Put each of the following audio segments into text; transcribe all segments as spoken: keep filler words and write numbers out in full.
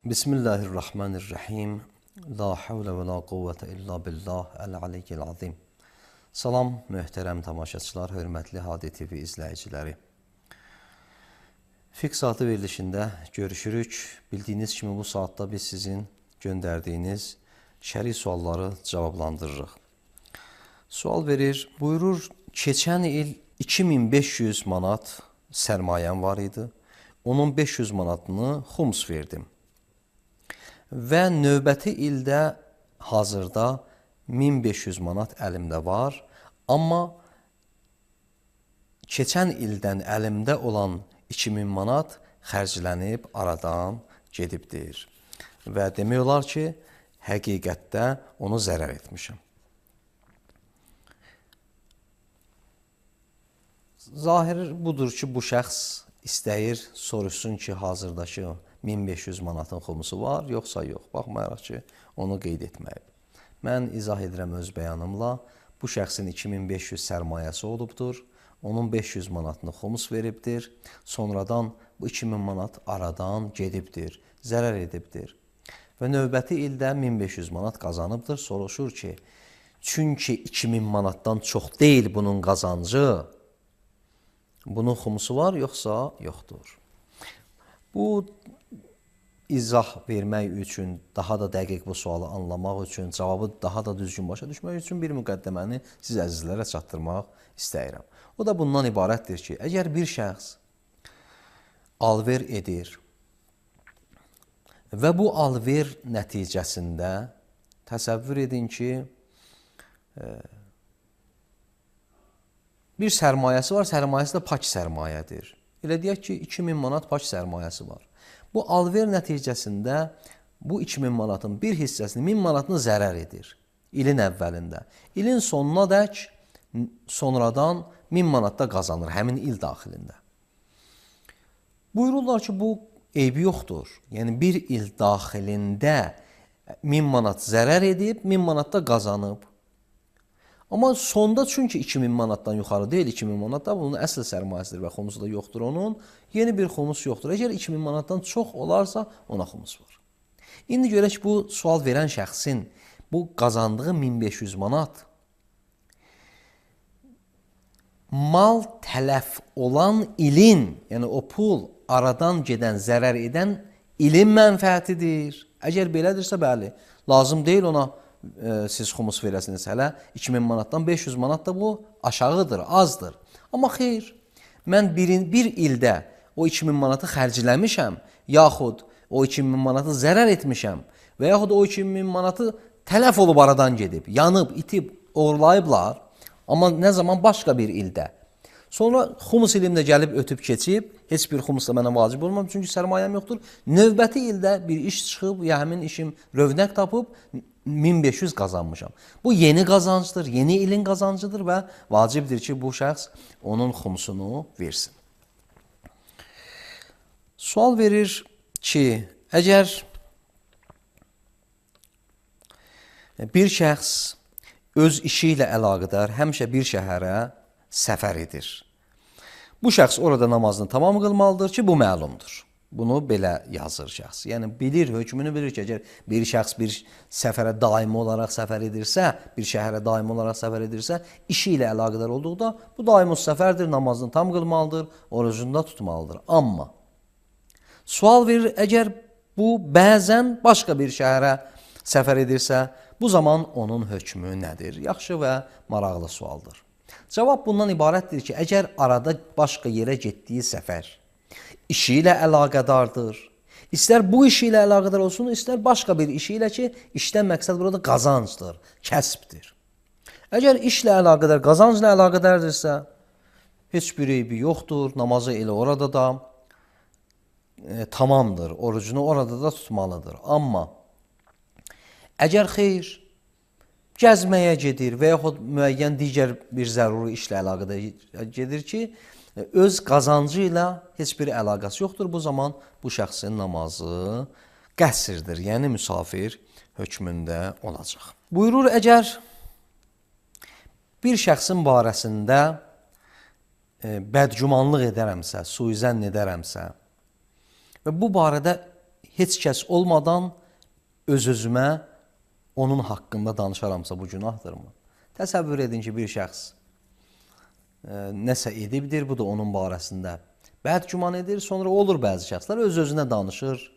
Bismillahirrahmanirrahim. La havle və la quvvətə illa billah əl-aliyyil azim. Salam, möhtərəm tamaşaçılar, hörmətli Hadi T V izləyiciləri. Fiqh saatı verilişində görüşürük. Bildiyiniz kimi bu saatda biz sizin göndərdiyiniz şəri sualları cavablandırırıq. Sual verir, buyurur, keçən il iki min beş yüz manat sərmayəm var idi. Onun beş yüz manatını xums verdim. Və növbəti ildə hazırda min beş yüz manat əlimdə var, amma keçən ildən əlimdə olan iki min manat xərclənib aradan gedibdir. Və demək olar ki, həqiqətdə onu zərər etmişəm. Zahir budur ki, bu şəxs istəyir, soruşsun ki, hazırdakı min beş yüz manatın xumusu var, yoxsa yox. Baxmayaraq ki, onu qeyd etməyib. Mən izah edirəm öz bəyanımla. Bu şəxsin iki min beş yüz sərmayəsi olubdur. Onun beş yüz manatını xumus veribdir. Sonradan bu iki min manat aradan gedibdir, zərər edibdir. Və növbəti ildə min beş yüz manat qazanıbdır. Soruşur ki, çünki iki min manatdan çox deyil bunun qazancı, bunun xumusu var, yoxsa yoxdur. Bu izah vermək üçün, daha da dəqiq bu sualı anlamaq üçün, cavabı daha da düzgün başa düşmək üçün bir müqəddəməni siz əzizlərə çatdırmaq istəyirəm. O da bundan ibarətdir ki, əgər bir şəxs alver edir və bu alver nəticəsində təsəvvür edin ki, bir sərmayəsi var, sərmayəsi də pak sərmayədir. Elə deyək ki, iki min manat pak sərmayəsi var. Bu alver nəticəsində bu iki min manatın bir hissəsini, min manatını zərər edir ilin əvvəlində. İlin sonuna dək sonradan min manat da qazanır həmin il daxilində. Buyururlar ki, bu eybi yoxdur. Yəni bir il daxilində min manat zərər edib, min manat da qazanıb. Amma sonda çünki iki min manatdan yuxarı deyil, iki min manat da bunun əsl sərmayəsidir və xumusu da yoxdur onun, yeni bir xumus yoxdur. Əgər iki min manatdan çox olarsa, ona xumus var. İndi görək bu sual verən şəxsin bu qazandığı min beş yüz manat mal tələf olan ilin, yəni o pul aradan gedən, zərər edən ilin mənfəətidir. Əgər belədirsə, bəli, lazım deyil ona siz xumus verəsiniz hələ. iki min manatdan beş yüz manat da bu aşağıdır, azdır. Amma xeyr, mən bir, bir ildə o iki min manatı xərcləmişəm, yaxud o iki min manatı zərər etmişəm və yaxud o iki min manatı tələf olub aradan gedib, yanıb, itib, oğurlayıblar. Amma nə zaman başqa bir ildə. Sonra xumus ilimdə gəlib ötüb keçib, heç bir xumus da mənə vacib olmam, çünki sərmayəm yoxdur. Növbəti ildə bir iş çıxıb, ya həmin işim rövnək tapıb, min beş yüz qazanmışam. Bu yeni qazancdır, yeni ilin qazancıdır və vacibdir ki, bu şəxs onun xumusunu versin. Sual verir ki, əgər bir şəxs öz işi ilə əlaqədar həmişə bir şəhərə səfər edir. Bu şəxs orada namazını tamam qılmalıdır ki, bu məlumdur. Bunu belə yazır şəxs. Yəni, bilir, hökmünü bilir ki, əgər bir şəxs bir səfərə daimi olaraq səfər edirsə, bir şəhərə daimi olaraq səfər edirsə, işi ilə əlaqədar olduqda, bu daimus səfərdir, namazını tam qılmalıdır, orucunu da tutmalıdır. Amma sual verir, əgər bu bəzən başqa bir şəhərə səfər edirsə, bu zaman onun hökmü nədir? Yaxşı və maraqlı sualdır. Cavab bundan ibarətdir ki, əgər arada başqa yerə getdiyi səfər işi ilə əlaqədardır. İstər bu işi ilə əlaqədar olsun, istər başqa bir işi ilə ki, işdən məqsəd burada qazancdır, kəsbdir. Əgər işlə əlaqədar, qazancla əlaqədardirsə, heç bir eybi yoxdur, namazı elə orada da e, tamamdır, orucunu orada da tutmalıdır. Amma əgər xeyr, gəzməyə gedir və yaxud müəyyən digər bir zəruri işlə əlaqədar gedir ki, öz qazancı ilə heç bir əlaqəsi yoxdur. Bu zaman bu şəxsin namazı qəsrdir, yəni müsafir hökmündə olacaq. Buyurur, əgər bir şəxsin barəsində e, bədgümanlıq edərəmsə, suizənn edərəmsə və bu barədə heç kəs olmadan öz-özümə onun haqqında danışaramsa bu günahdırmı? Təsəvvür edin ki, bir şəxs e, nəsə edibdir, bu da onun barəsində bəd güman edir. Sonra olur bəzi şəxslər öz-özünə danışır.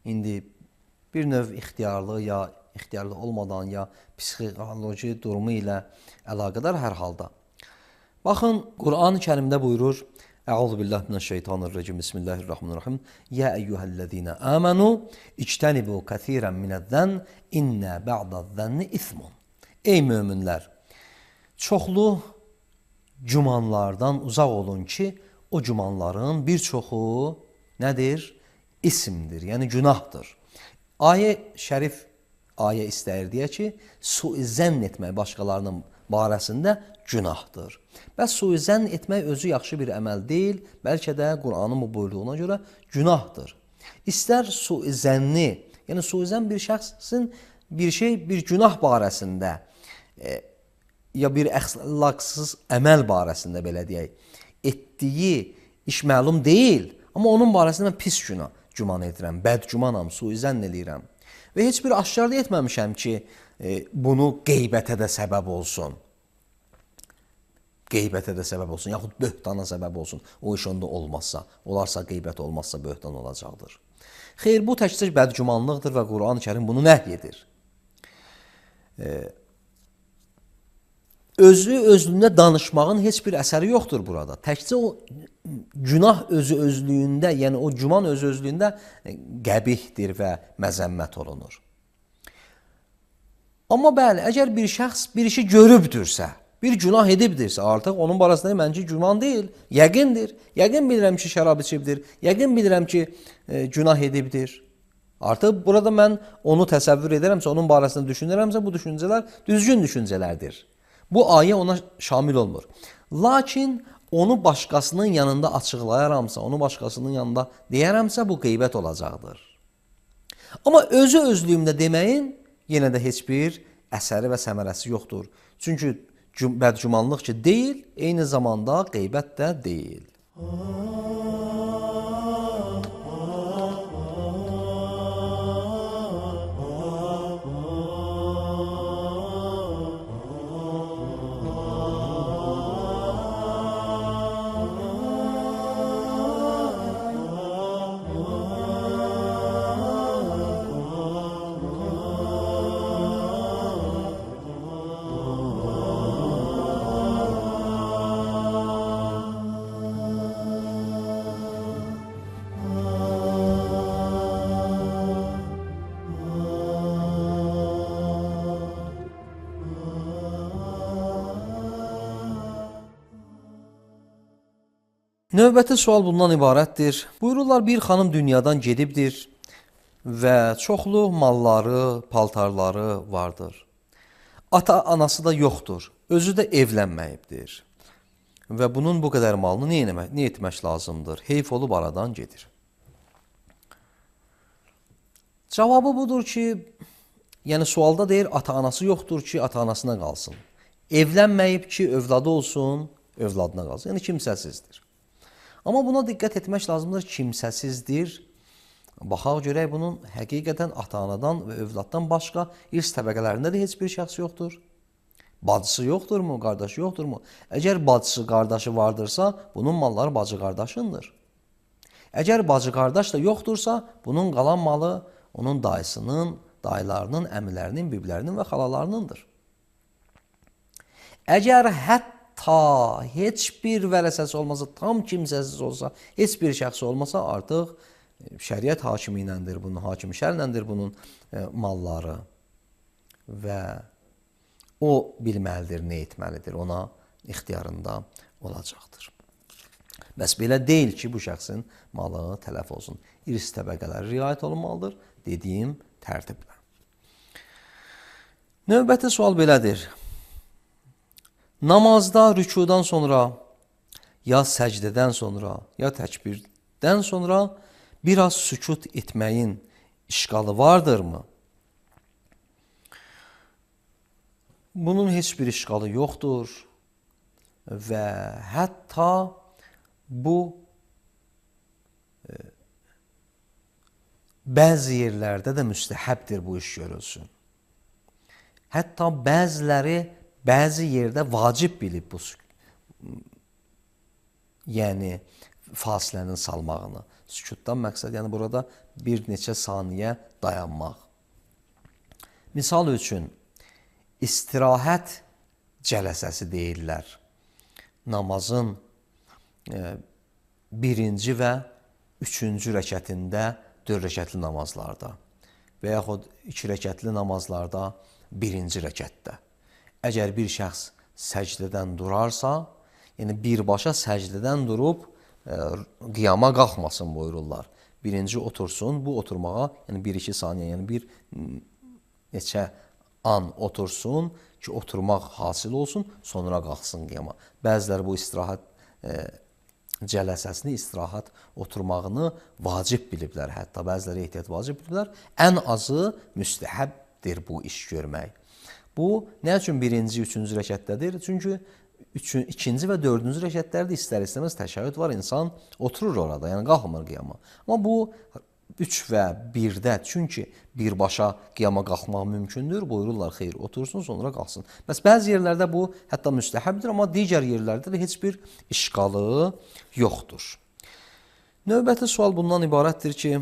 İndi bir növ ixtiyarlı ya ixtiyarlı olmadan ya psixoloji durumu ilə əlaqədar hər halda. Baxın, Quran-ı Kərimdə buyurur: Əuzu billahi mineşşeytanirracim. Bismillahirrahmanirrahim. Ya eyyuhellezine amenu ictenibu kesiren minez-zen inne ba'dez-zenni ismun. Ey möminlər, çoxlu gümanlardan uzaq olun ki, o gümanların bir çoxu nədir? İsimdir, yəni günahdır. Ayə şərif ayə istəyir deyə ki, suizən etmək başqalarının barəsində günahdır. Bəs suizən etmək özü yaxşı bir əməl deyil, bəlkə də Qur'anın bu buyruğuna görə günahdır. İstər suizənni, yəni suizən bir şəxsin bir şey, bir günah barəsində e, ya bir əxlaqsız əməl barəsində belə deyək, etdiyi iş məlum deyil, amma onun barəsində mən pis günah güman edirəm, bəd gümanam, suizən eləyirəm. Və heç bir aşkarda etməmişəm ki, e, bunu qeybətə də səbəb olsun. Qeybətə də səbəb olsun, yaxud böhtana səbəb olsun. O iş onda olmazsa, olarsa qeybət olmazsa böhtan olacaqdır. Xeyr, bu təkcə bədgümanlıqdır və Quran-ı Kərim bunu nəhy edir. E, özü özlüyündə danışmağın heç bir əsəri yoxdur burada. Təkcə o günah özü özlüyündə, yəni o güman özü özlüyündə qəbihdir və məzəmmət olunur. Amma bəli, əgər bir şəxs bir işi görübdürsə, bir günah edibdirsə, artıq onun barəsində məncə güman deyil, yəqindir. Yəqin bilirəm ki, şərab içibdir, yəqin bilirəm ki, e, günah edibdir. Artıq burada mən onu təsəvvür edərəmsə, onun barəsində düşünürəmsə, bu düşüncələr düzgün düşüncələrdir. Bu ayə ona şamil olmur. Lakin onu başqasının yanında açıqlayaramsa, onu başqasının yanında deyərəmsə, bu qeybət olacaqdır. Amma özü özlüyümdə deməyin yenə də heç bir əsəri və səmərəsi yoxdur. Çünki bədgümanlıq ki deyil, eyni zamanda qeybət də deyil. Növbəti sual bundan ibarətdir. Buyururlar, bir xanım dünyadan gedibdir və çoxlu malları, paltarları vardır. Ata-anası da yoxdur, özü də evlənməyibdir. Və bunun bu qədər malını nə etmək, nə etmək lazımdır? Heyf olub aradan gedir. Cavabı budur ki, yəni sualda deyir, ata-anası yoxdur ki, ata-anasına qalsın. Evlənməyib ki, övladı olsun, övladına qalsın. Yəni kimsəsizdir. Amma buna diqqət etmək lazımdır, kimsəsizdir. Baxaq görək, bunun həqiqətən ata-anadan və övladdan başqa irs təbəqələrində də heç bir şəxs yoxdur. Bacısı yoxdurmu, qardaşı yoxdurmu? Əgər bacısı, qardaşı vardırsa, bunun malları bacı qardaşındır. Əgər bacı qardaş da yoxdursa, bunun qalan malı onun dayısının, dayılarının, əmilərinin, biblərinin və xalalarınındır. Əgər hətta ta heç bir vərəsəsi olmasa, tam kimsəsiz olsa, heç bir şəxs olmasa, artıq şəriət hakimi iləndir bunun, hakimi şərləndir bunun e, malları və o bilməlidir, nə etməlidir, ona ixtiyarında olacaqdır. Bəs belə deyil ki, bu şəxsin malı tələf olsun. İrs təbəqələri riayət olunmalıdır, dediyim tərtiblə. Növbəti sual belədir. Namazda rükudan sonra, ya səcdədən sonra, ya təkbirdən sonra biraz sükut etməyin işqalı vardırmı? Bunun heç bir işqalı yoxdur və hətta bu bəzi yerlərdə də müstəhəbdir bu iş görülsün. Hətta bəziləri bəzi yerdə vacib bilib bu, yəni fasilənin salmağını. Sükutdan məqsəd, yəni burada bir neçə saniyə dayanmaq. Misal üçün, istirahət cələsəsi deyirlər. Namazın e, birinci və üçüncü rəkətində dörd rəkətli namazlarda və yaxud iki rəkətli namazlarda birinci rəkətdə. Əgər bir şəxs səcdədən durarsa, yəni birbaşa səcdədən durub e, qiyama qalxmasın buyururlar. Birinci otursun, bu oturmağa, yəni bir iki saniyə, yəni bir neçə an otursun ki, oturmaq hasil olsun, sonra qalxsın qiyama. Bəziləri bu istirahət e, cələsəsini, istirahət oturmağını vacib biliblər, hətta bəziləri ehtiyat vacib biliblər. Ən azı müstəhəbdir bu iş görmək. Bu, nə üçün birinci, üçüncü rəkətdədir? Çünki üçün, ikinci və dördüncü rəkətlərdə istər-istəməz təşəhhüd var, insan oturur orada, yəni qalxmır qiyama. Amma bu üç və birdə, çünki birbaşa qiyama qalxmaq mümkündür, buyururlar, xeyr, otursun, sonra qalxsın. Bəs bəzi yerlərdə bu hətta müstəhəbdir, amma digər yerlərdə də heç bir işqalı yoxdur. Növbəti sual bundan ibarətdir ki,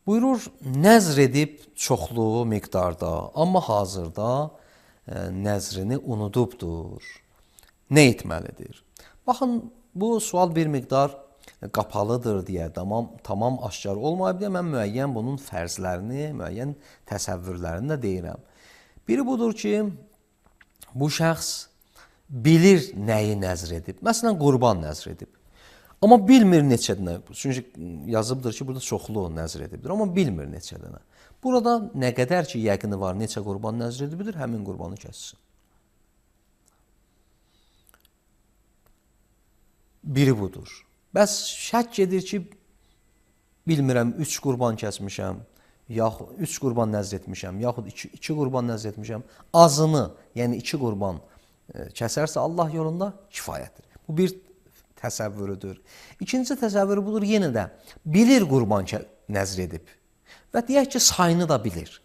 buyurur, nəzr edib çoxlu miqdarda, amma hazırda e, nəzrini unudubdur. Nə etməlidir? Baxın, bu sual bir miqdar qapalıdır deyə, tamam, tamam aşkar olmayıb deyə, mən müəyyən bunun fərzlərini, müəyyən təsəvvürlərini də deyirəm. Biri budur ki, bu şəxs bilir nəyi nəzr edib. Məsələn, qurban nəzr edib. Amma bilmir neçə dənə. Çünki yazıbdır ki, burada çoxlu nəzr edibdir, amma bilmir neçə dənə. Burada nə qədər ki, yəqini var, neçə qurban nəzr edibidir, həmin qurbanı kəssin. Biri budur. Bəs şək edir ki, bilmirəm, üç qurban kəsmişəm, yaxud üç qurban nəzr etmişəm, yaxud iki, iki qurban nəzr etmişəm. Azını, yəni iki qurban e, kəsərsə Allah yolunda kifayətdir. Bu bir təsəvvürüdür. İkinci təsəvvürü budur, yenə də bilir qurban nəzr edib və deyək ki, sayını da bilir.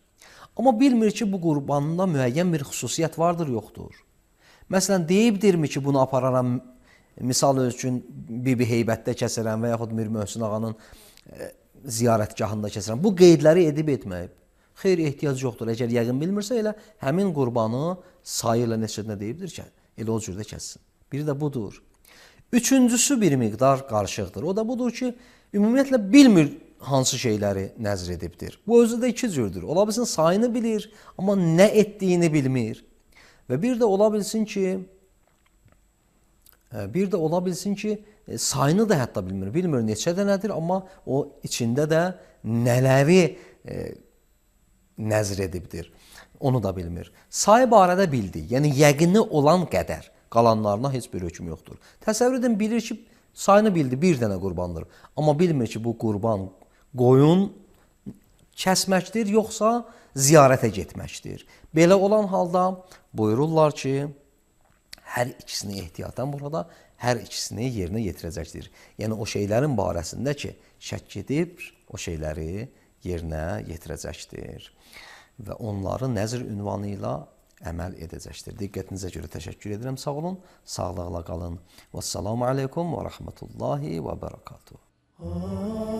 Amma bilmir ki, bu qurbanında müəyyən bir xüsusiyyət vardır, yoxdur. Məsələn, deyibdirmi ki, bunu apararam, misal üçün Bibi Heybətdə kəsərəm və yaxud Mir Möhsün ağanın e, ziyarətgahında kəsərəm. Bu qeydləri edib etməyib. Xeyr, ehtiyac yoxdur. Əgər yəqin bilmirsə, elə həmin qurbanı sayı ilə neçə dənə deyibdir ki, elə o cürdə kəssin. Biri də budur. Üçüncüsü bir miqdar qarışıqdır. O da budur ki, ümumiyyətlə bilmir hansı şeyləri nəzr edibdir. Bu özü də iki cürdür. Ola bilsin sayını bilir, amma nə etdiyini bilmir. Və bir də ola bilsin ki, bir də ola bilsin ki, sayını da hətta bilmir. Bilmir neçə dənədir, amma o içində də nələri e, nəzr edibdir. Onu da bilmir. Sayı barədə bildi. Yəni, yəqini olan qədər. Qalanlarına heç bir hökm yoxdur. Təsəvvür edin, bilir ki, sayını bildi, bir dənə qurbandır. Amma bilmir ki, bu qurban qoyun kəsməkdir, yoxsa ziyarətə getməkdir. Belə olan halda buyururlar ki, hər ikisini ehtiyatən burada, hər ikisini yerinə yetirəcəkdir. Yəni, o şeylərin barəsində ki, şək edib, o şeyləri yerinə yetirəcəkdir. Və onları nəzr ünvanı ilə əməl edəcəkdir. Diqqətinizə görə təşəkkür edirəm. Sağ olun, sağlıqla qalın. Vəssalamu aleykum və rəhmətullahi və bərəkatuhu.